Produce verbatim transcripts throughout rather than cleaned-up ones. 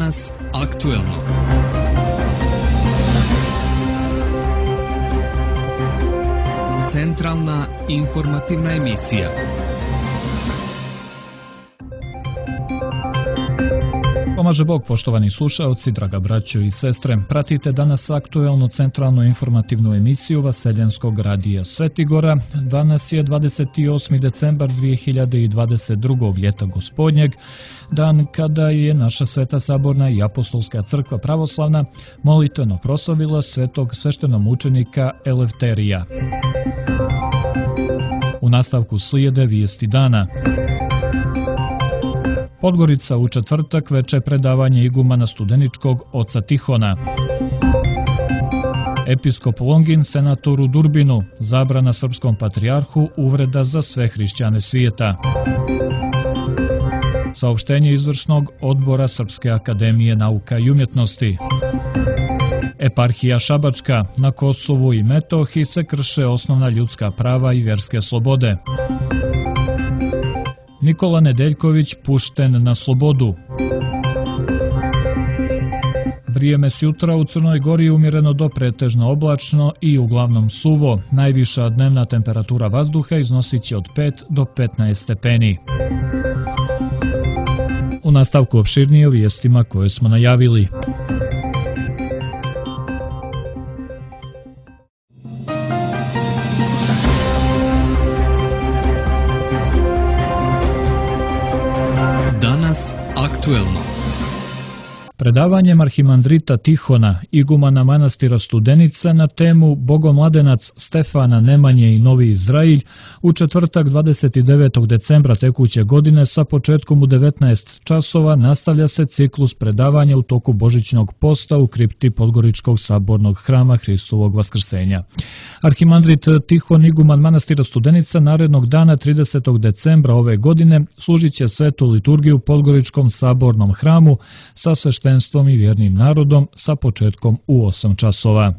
Danas aktuelno. Centralna informativna emisija. Pomaže Bog, poštovani slušaoci, draga braćo i sestre. Pratite danas aktuelnu centralnu informativnu emisiju Vaseljenskog radija Svetigora. Danas je dvadeset osmi decembar dvije hiljade dvadeset drugog. ljeta gospodnjeg, dan kada je naša Sveta Saborna i Apostolska crkva pravoslavna molitveno proslavila svetog sveštenomučenika Elefterija. U nastavku slijede vijesti dana. Podgorica u četvrtak veče predavanje igumana Studeničkog oca Tihona. Episkop Longin senatoru Durbinu, zabrana srpskom patrijarhu, uvreda za sve hrišćane svijeta. Saopštenje izvršnog odbora Srpske akademije nauka i umjetnosti. Eparhija Šabačka, na Kosovu i Metohiji se krše osnovna ljudska prava i vjerske slobode. Nikola Nedeljković pušten na slobodu. Vrijeme s jutra u Crnoj Gori umjereno do pretežno oblačno i uglavnom suvo. Najviša dnevna temperatura vazduha iznosit će od pet do petnaest stepeni. U nastavku opširnije o vijestima koje smo najavili. Danas aktuelno. Predavanjem arhimandrita Tihona, igumana manastira Studenica na temu Bogomladenac Stefana Nemanje i Novi Izrailj u četvrtak dvadeset devetog decembra tekuće godine sa početkom u devetnaest časova nastavlja se ciklus predavanja u toku Božićnog posta u kripti Podgoričkog sabornog hrama Hristovog vaskrsenja. Arhimandrit Tihon, iguman manastira Studenica, narednog dana tridesetog decembra ove godine služit će svetu liturgiju u Podgoričkom sabornom hramu sa sveštenstvom i vjernim narodom sa početkom u osam časova.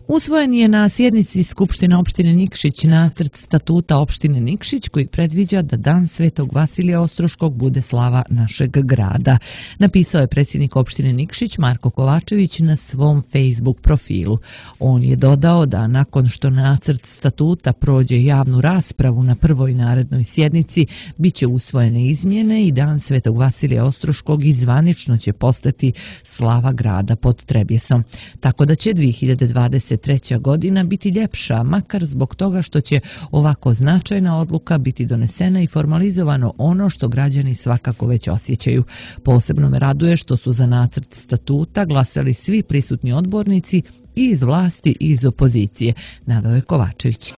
Usvojen je na sjednici Skupštine opštine Nikšić nacrt statuta opštine Nikšić koji predviđa da dan Svetog Vasilija Ostroškog bude slava našeg grada. Napisao je predsjednik opštine Nikšić Marko Kovačević na svom Facebook profilu. On je dodao da nakon što nacrt statuta prođe javnu raspravu na prvoj narednoj sjednici, bit će usvojene izmjene i dan Svetog Vasilija Ostroškog i zvanično će postati slava grada pod Trebjesom. Tako da će dvije hiljade dvadeset treća godina biti ljepša, makar zbog toga što će ovako značajna odluka biti donesena i formalizovano ono što građani svakako već osjećaju. Posebno me raduje što su za nacrt statuta glasali svi prisutni odbornici i iz vlasti i iz opozicije, naveo je Kovačević.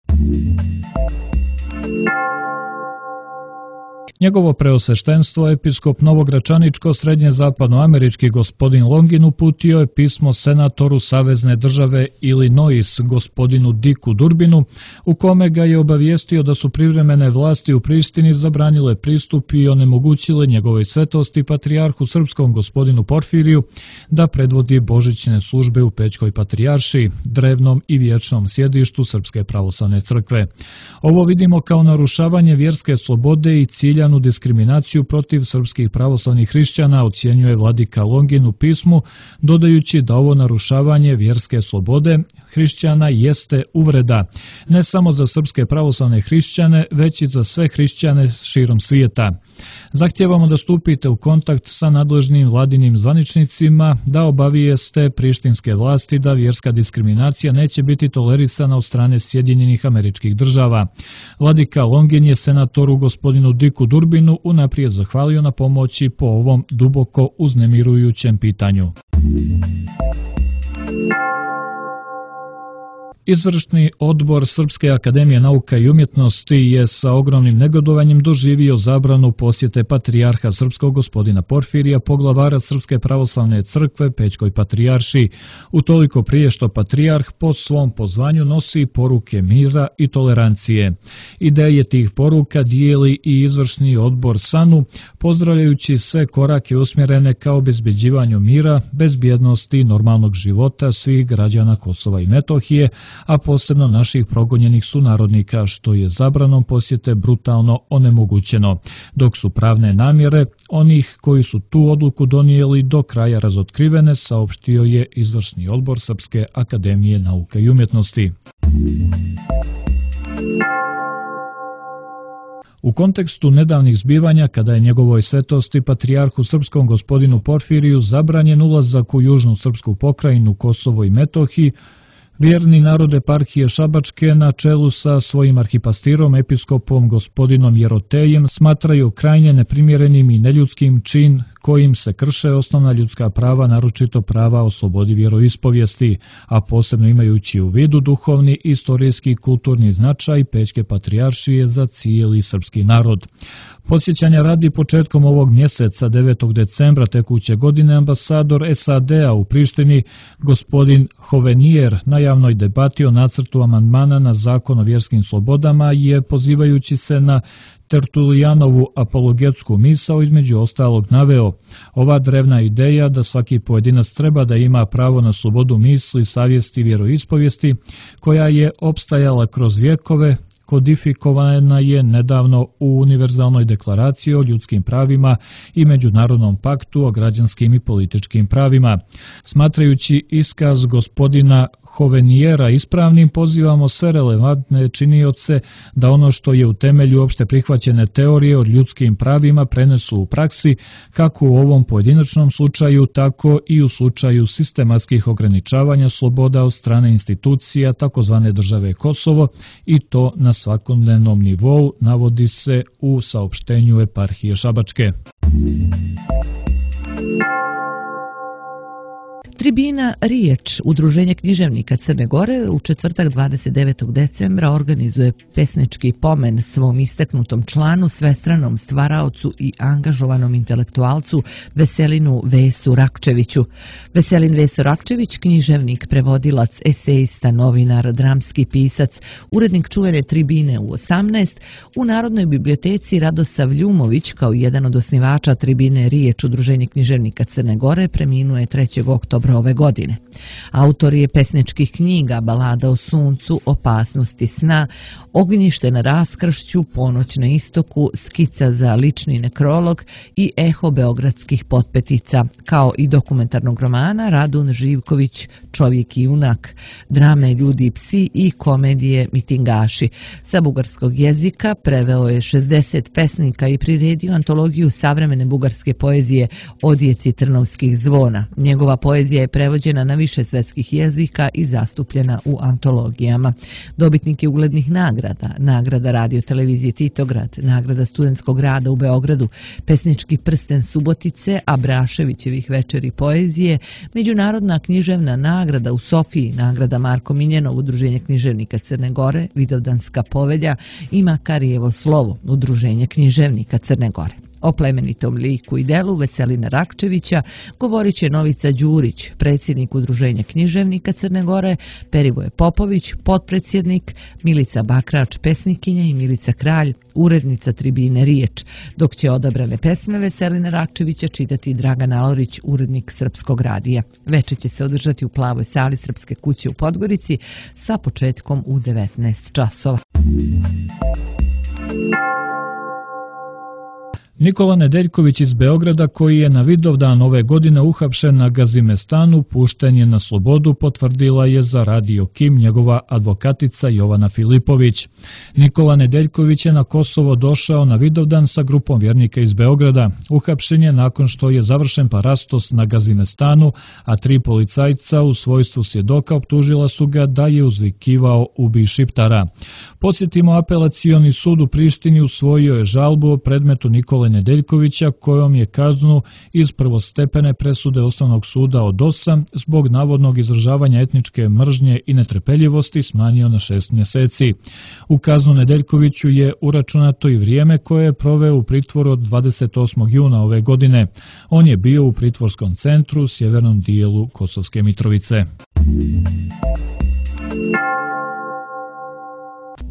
Njegovo preosveštenstvo, episkop Novogračaničko srednje-zapadnoamerički gospodin Longin uputio je pismo senatoru Savezne države Illinois gospodinu Dicku Durbinu, u kome ga je obavijestio da su privremene vlasti u Prištini zabranile pristup i onemogućile njegovoj svetosti patrijarhu srpskom gospodinu Porfiriju da predvodi božićne službe u Pećkoj patrijaršiji, drevnom i vječnom sjedištu Srpske pravoslavne crkve. Ovo vidimo kao narušavanje vjerske slobode i cilja diskriminaciju protiv srpskih pravoslavnih hrišćana, ocjenjuje vladika Longin u pismu, dodajući da ovo narušavanje vjerske slobode hrišćana jeste uvreda, ne samo za srpske pravoslavne hrišćane, već i za sve hrišćane širom svijeta. Zahtijevamo da stupite u kontakt sa nadležnim vladinim zvaničnicima, da obavijeste prištinske vlasti da vjerska diskriminacija neće biti tolerisana od strane Sjedinjenih Američkih Država. Vladika Longin je senatoru gospodinu Dicku Durbinu unaprijed zahvalio na pomoći po ovom duboko uznemirujućem pitanju. Izvršni odbor Srpske akademije nauka i umjetnosti je sa ogromnim negodovanjem doživio zabranu posjete patrijarha srpskog gospodina Porfirija, poglavara Srpske pravoslavne crkve Pećkoj patrijaršiji, utoliko prije što patrijarh po svom pozvanju nosi poruke mira i tolerancije. Ideje tih poruka dijeli i izvršni odbor SANU, pozdravljajući sve korake usmjerene ka obezbeđivanju mira, bezbjednosti i normalnog života svih građana Kosova i Metohije, a posebno naših progonjenih sunarodnika, što je zabranom posjete brutalno onemogućeno, dok su pravne namjere onih koji su tu odluku donijeli do kraja razotkrivene, saopštio je izvršni odbor Srpske akademije nauka i umjetnosti. U kontekstu nedavnih zbivanja, kada je njegovoj svetosti patrijarhu srpskom gospodinu Porfiriju zabranjen ulazak u južnu srpsku pokrajinu Kosovo i Metohiji, vjerni narod eparhije Šabačke na čelu sa svojim arhipastirom, episkopom gospodinom Jerotejem, smatraju krajnje neprimjerenim i neljudskim čin kojim se krše osnovna ljudska prava, naročito prava o slobodi vjeroispovijesti, a posebno imajući u vidu duhovni, istorijski i kulturni značaj Pećke patrijaršije za cijeli srpski narod. Podsjećanja radi, početkom ovog mjeseca, devetog decembra tekuće godine, ambasador S A D-a u Prištini, gospodin Hovenier, na javnoj debati o nacrtu amandmana na zakon o vjerskim slobodama je, pozivajući se na Tertulijanovu apologetsku misao, između ostalog naveo: ova drevna ideja da svaki pojedinac treba da ima pravo na slobodu misli, savjesti i vjeroispovijesti, koja je opstajala kroz vjekove, kodifikovana je nedavno u Univerzalnoj deklaraciji o ljudskim pravima i Međunarodnom paktu o građanskim i političkim pravima. Smatrajući iskaz gospodina Hovenijera ispravnim, pozivamo sve relevantne činioce da ono što je u temelju opšte prihvaćene teorije o ljudskim pravima prenesu u praksi, kako u ovom pojedinačnom slučaju, tako i u slučaju sistematskih ograničavanja sloboda od strane institucija takozvane države Kosovo, i to na svakodnevnom nivou, navodi se u saopštenju eparhije Šabačke. Tribina Riječ, udruženje književnika Crne Gore, u četvrtak dvadeset devetog decembra organizuje pesnički pomen svom istaknutom članu, svestranom stvaraocu i angažovanom intelektualcu Veselinu Vesu Rakčeviću. Veselin Veso Rakčević, književnik, prevodilac, esejista, novinar, dramski pisac, urednik čuvene Tribine u osamnaest, u Narodnoj biblioteci Radosav Ljumović, kao jedan od osnivača Tribine Riječ, udruženje književnika Crne Gore, preminuo je trećeg oktobra ove godine. Autor je pesničkih knjiga Balada o suncu, Opasnosti sna, Ognjište na raskršću, Ponoć na istoku, Skica za lični nekrolog i Eho beogradskih potpetica, kao i dokumentarnog romana Radun Živković, Čovjek i junak, drame Ljudi i psi i komedije Mitingaši. Sa bugarskog jezika preveo je šezdeset pesnika i priredio antologiju savremene bugarske poezije Odjeci trnovskih zvona. Njegova poezija je prevođena na više svetskih jezika i zastupljena u antologijama. Dobitnik je uglednih nagrada: nagrada radio televizije Titograd, nagrada studentskog rada u Beogradu, pesnički prsten Subotice, Abraševićevih večeri poezije, međunarodna književna nagrada u Sofiji, nagrada Marko Miljenov, udruženje književnika Crne Gore, Vidovdanska povelja i Makarijevo slovo, udruženje književnika Crne Gore. O plemenitom liku i delu Veselina Rakčevića govorit će Novica Đurić, predsjednik udruženja književnika Crne Gore, Perivoje Popović, potpredsjednik, Milica Bakrač, pesnikinja, i Milica Kralj, urednica Tribine Riječ, dok će odabrane pesme Veselina Rakčevića čitati Dragan Alorić, urednik Srpskog radija. Veče će se održati u Plavoj sali Srpske kuće u Podgorici sa početkom u devetnaest časova. Nikola Nedeljković iz Beograda, koji je na Vidovdan ove godine uhapšen na Gazimestanu, pušten je na slobodu, potvrdila je za Radio Kim njegova advokatica Jovana Filipović. Nikola Nedeljković je na Kosovo došao na Vidovdan sa grupom vjernika iz Beograda. Uhapšen je nakon što je završen parastos na Gazimestanu, a tri policajca u svojstvu svjedoka optužila su ga da je uzvikivao "Ubij Šiptara". Podsjetimo, apelacioni sud u Prištini usvojio je žalbu o predmetu Nikole Nedeljkovića, kojom je kaznu iz prvostepene presude Osnovnog suda od osam zbog navodnog izražavanja etničke mržnje i netrpeljivosti smanjio na šest mjeseci. U kaznu Nedeljkoviću je uračunato i vrijeme koje je proveo u pritvoru od dvadeset osmog juna ove godine. On je bio u pritvorskom centru u sjevernom dijelu Kosovske Mitrovice.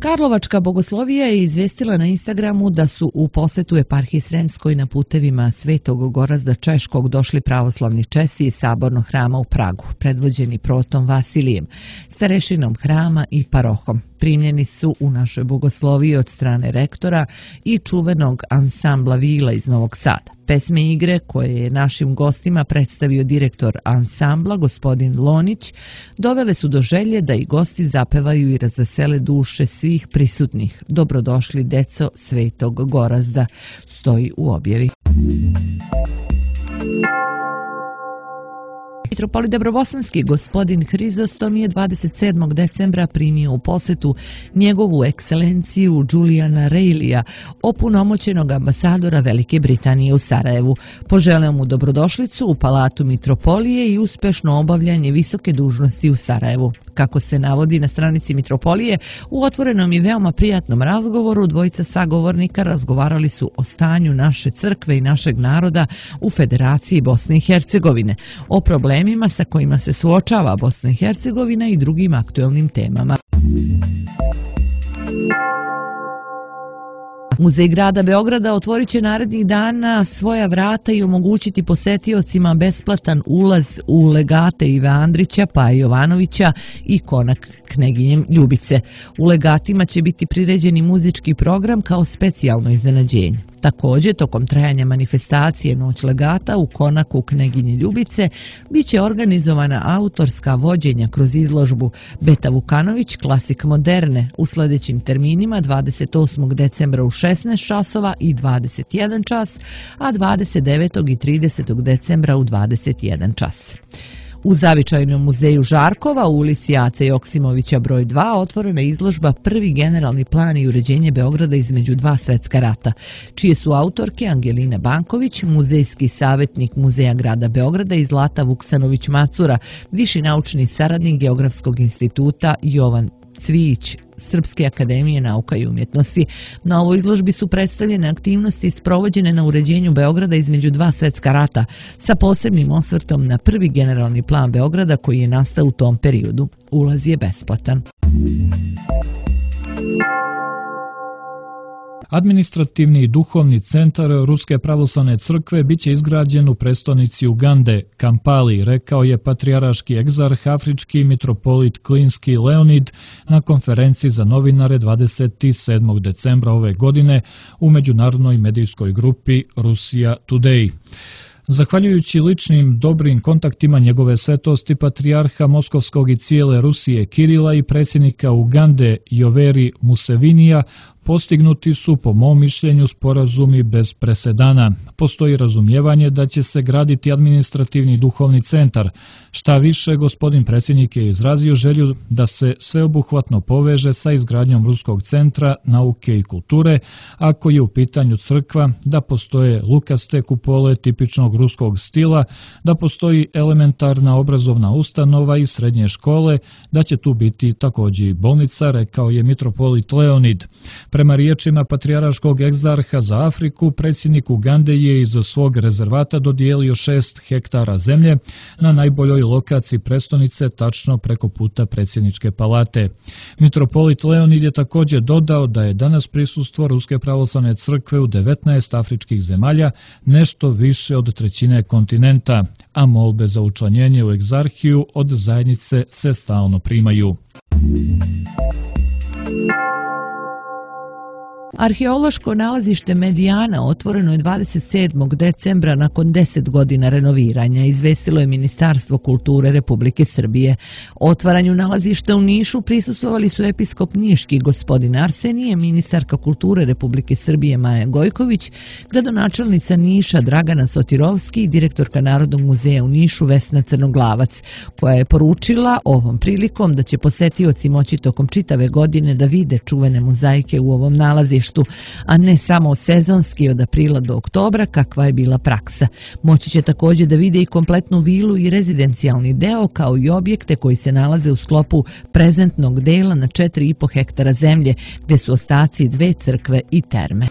Karlovačka bogoslovija je izvestila na Instagramu da su u posetu eparhiji Sremskoj na putevima Svetog Gorazda Češkog došli pravoslavni Česi iz sabornog hrama u Pragu, predvođeni protom Vasilijem, starešinom hrama i parohom. Primljeni su u našoj bogosloviji od strane rektora i čuvenog ansambla Vila iz Novog Sada. Pesme i igre koje je našim gostima predstavio direktor ansambla, gospodin Lonić, dovele su do želje da i gosti zapevaju i razvesele duše svih prisutnih. Dobrodošli, deco Svetog Gorazda, stoji u objavi. Mitropolit Dabrobosanski gospodin Hrizostom je dvadeset sedmog decembra primio u posetu njegovu ekscelenciju Julijana Reilija, opunomoćenog ambasadora Velike Britanije u Sarajevu. Poželeo mu dobrodošlicu u Palatu Mitropolije i uspešno obavljanje visoke dužnosti u Sarajevu. Kako se navodi na stranici Mitropolije, u otvorenom i veoma prijatnom razgovoru dvojica sagovornika razgovarali su o stanju naše crkve i našeg naroda u Federaciji Bosne i Hercegovine, o problemima sa kojima se suočava Bosna i Hercegovina i drugim aktuelnim temama. Muzej grada Beograda otvorit će narednih dana svoja vrata i omogućiti posetiocima besplatan ulaz u legate Ive Andrića, Paje Jovanovića i konak Kneginje Ljubice. U legatima će biti priređeni muzički program kao specijalno iznenađenje. Također, tokom trajanja manifestacije Noć legata u konaku Kneginje Ljubice biće organizovana autorska vođenja kroz izložbu Beta Vukanović, klasik moderne, u sljedećim terminima dvadeset osmog decembra u šesnaest časova i dvadeset jedan čas, a dvadeset devetog i tridesetog decembra u dvadeset jedan čas. U Zavičajnom muzeju Žarkova u ulici Ace Joksimovića broj dva otvorena je izložba Prvi generalni plan i uređenje Beograda između dva svetska rata, čije su autorke Angelina Banković, muzejski savjetnik Muzeja grada Beograda i Zlata Vuksanović-Macura, viši naučni saradnik Geografskog instituta Jovan Cvijić Srpske akademije nauka i umjetnosti. Na ovoj izložbi su predstavljene aktivnosti sprovođene na uređenju Beograda između dva svetska rata, sa posebnim osvrtom na prvi generalni plan Beograda koji je nastao u tom periodu. Ulaz je besplatan. Administrativni i duhovni centar Ruske pravoslavne crkve biće izgrađen u prestonici Ugande, Kampali, rekao je patrijarški egzarh afrički mitropolit Klinski Leonid na konferenciji za novinare dvadeset sedmog decembra ove godine u međunarodnoj medijskoj grupi Russia Today. Zahvaljujući ličnim dobrim kontaktima njegove svetosti patrijarha Moskovskog i cijele Rusije Kirila i predsjednika Ugande Yoweri Musevinija, postignuti su, po mom mišljenju, sporazumi bez presedana. Postoji razumijevanje da će se graditi administrativni duhovni centar. Šta više, gospodin predsjednik je izrazio želju da se sveobuhvatno poveže sa izgradnjom Ruskog centra nauke i kulture, ako je u pitanju crkva, da postoje lukaste kupole tipičnog ruskog stila, da postoji elementarna obrazovna ustanova i srednje škole, da će tu biti također i bolnica, rekao je mitropolit Leonid. Prema riječima patrijarškog egzarha za Afriku, predsjednik Ugande je iz svog rezervata dodijelio šest hektara zemlje na najboljoj lokaciji prestonice, tačno preko puta predsjedničke palate. Mitropolit Leonid je također dodao da je danas prisustvo Ruske pravoslavne crkve u devetnaest afričkih zemalja nešto više od trećine kontinenta, a molbe za učlanjenje u egzarhiju od zajednice se stalno primaju. Arheološko nalazište Medijana otvoreno je dvadeset sedmog decembra nakon deset godina renoviranja, izvestilo je Ministarstvo kulture Republike Srbije. Otvaranju nalazišta u Nišu prisustvovali su episkop Niški gospodin Arsenije, ministarka kulture Republike Srbije Maja Gojković, gradonačelnica Niša Dragana Sotirovski i direktorka Narodnog muzeja u Nišu Vesna Crnoglavac, koja je poručila ovom prilikom da će posetioci moći tokom čitave godine da vide čuvene mozaike u ovom nalazištu, a ne samo sezonski od aprila do oktobra, kakva je bila praksa. Moći će također da vide i kompletnu vilu i rezidencijalni deo, kao i objekte koji se nalaze u sklopu prezentnog dela na četiri i po hektara zemlje, gdje su ostaci dve crkve i terme.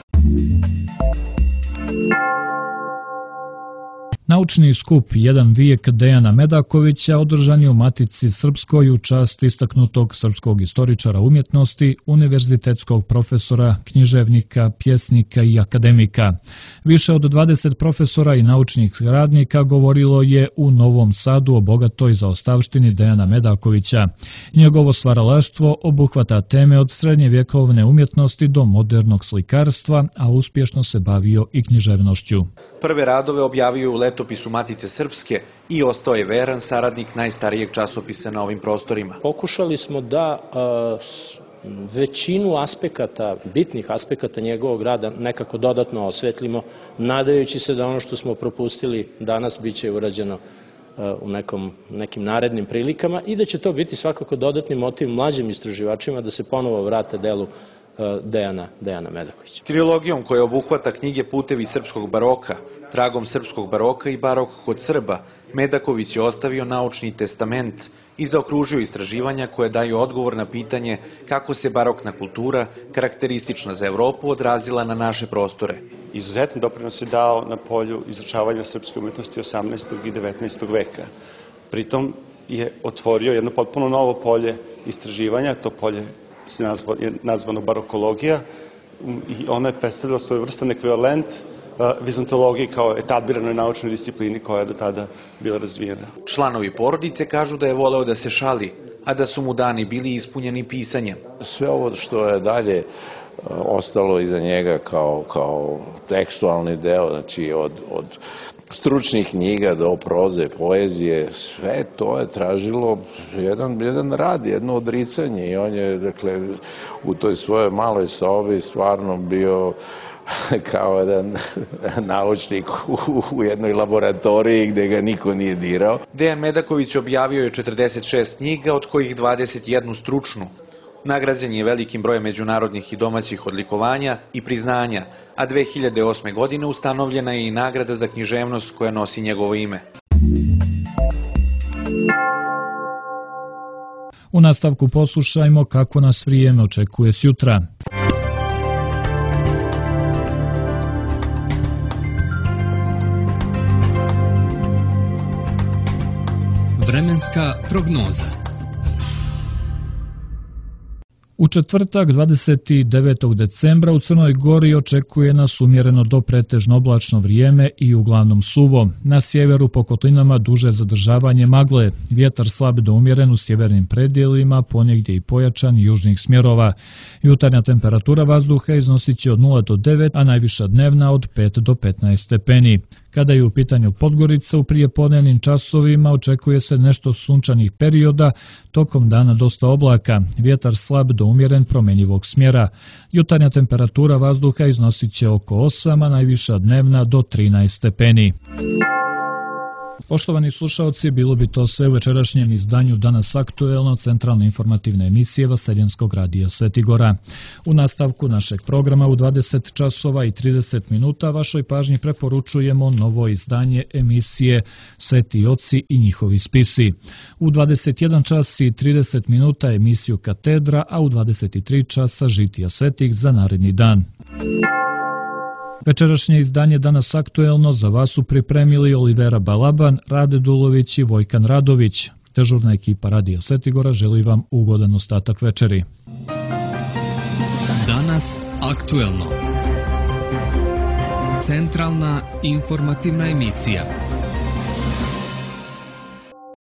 Naučni skup Jedan vijek Dejana Medakovića održan je u Matici Srpskoj u čast istaknutog srpskog istoričara umjetnosti, univerzitetskog profesora, književnika, pjesnika i akademika. Više od dvadeset profesora i naučnih radnika govorilo je u Novom Sadu o bogatoj zaostavštini Dejana Medakovića. Njegovo stvaralaštvo obuhvata teme od srednjevjekovne umjetnosti do modernog slikarstva, a uspješno se bavio i književnošću. Prve radove objavio u letopisu Matice Srpske i ostao je veran saradnik najstarijeg časopisa na ovim prostorima. Pokušali smo da a, većinu aspekata, bitnih aspekata njegovog rada nekako dodatno osvetlimo, nadajući se da ono što smo propustili danas bit će urađeno u nekom, nekim narednim prilikama i da će to biti svakako dodatni motiv mlađim istraživačima da se ponovo vrate delu Dejana, Dejana Medakovića. Trilogijom koja obuhvata knjige Putevi srpskog baroka, Tragom srpskog baroka i Barok kod Srba, Medaković je ostavio naučni testament i zaokružio istraživanja koje daju odgovor na pitanje kako se barokna kultura, karakteristična za Evropu, odrazila na naše prostore. Izuzetan doprinos je dao na polju izučavanja srpske umjetnosti osamnaestog i devetnaestog veka. Pritom je otvorio jedno potpuno novo polje istraživanja, to polje je nazvano barokologija i ona je predstavila svojevrstan ekvivalent vizontologiji kao etabliranoj naučnoj disciplini koja je do tada bila razvijena. Članovi porodice kažu da je voleo da se šali, a da su mu dani bili ispunjeni pisanjem. Sve ovo što je dalje ostalo iza njega kao, kao tekstualni deo, znači od, od stručnih knjiga do proze, poezije, sve to je tražilo jedan, jedan rad, jedno odricanje i on je, dakle, u toj svojoj maloj sobi stvarno bio kao jedan naučnik u jednoj laboratoriji gde ga niko nije dirao. Dejan Medaković objavio je četrdeset šest knjiga, od kojih dvadeset jednu stručnu. Nagrađen je velikim brojem međunarodnih i domaćih odlikovanja i priznanja, a dve hiljade osme. godine ustanovljena je i nagrada za književnost koja nosi njegovo ime. U nastavku poslušajmo kako nas vrijeme očekuje sjutra. Vremenska prognoza. U četvrtak dvadeset devetog decembra u Crnoj Gori očekuje nas umjereno do pretežno oblačno vrijeme i uglavnom suvo. Na sjeveru po kotlinama duže zadržavanje magle, vjetar slab do umjeren u sjevernim predjelima, ponegdje i pojačan južnih smjerova. Jutarnja temperatura vazduha iznosit će od nula do devet, a najviša dnevna od pet do petnaest stepeni. Kada je u pitanju Podgorica, u prijepodnevnim časovima očekuje se nešto sunčanih perioda, tokom dana dosta oblaka, vjetar slab do umjeren promjenjivog smjera. Jutarnja temperatura vazduha iznosit će oko osam, a najviša dnevna do trinaest stepeni. Poštovani slušalci, bilo bi to sve u večerašnjem izdanju Danas aktuelno centralne informativne emisije Vaseljenskog radija Svetigora. U nastavku našeg programa u dvadeset časova i trideset minuta vašoj pažnji preporučujemo novo izdanje emisije Sveti oci i njihovi spisi. U dvadeset jedan čas i trideset minuta emisiju Katedra, a u dvadeset tri časa Žitija svetih za naredni dan. Večerašnje izdanje Danas aktuelno za vas su pripremili Olivera Balaban, Rade Dulović i Vojkan Radović. Dežurna ekipa Radija Svetigora želi vam ugodan ostatak večeri. Danas aktuelno. Centralna informativna emisija.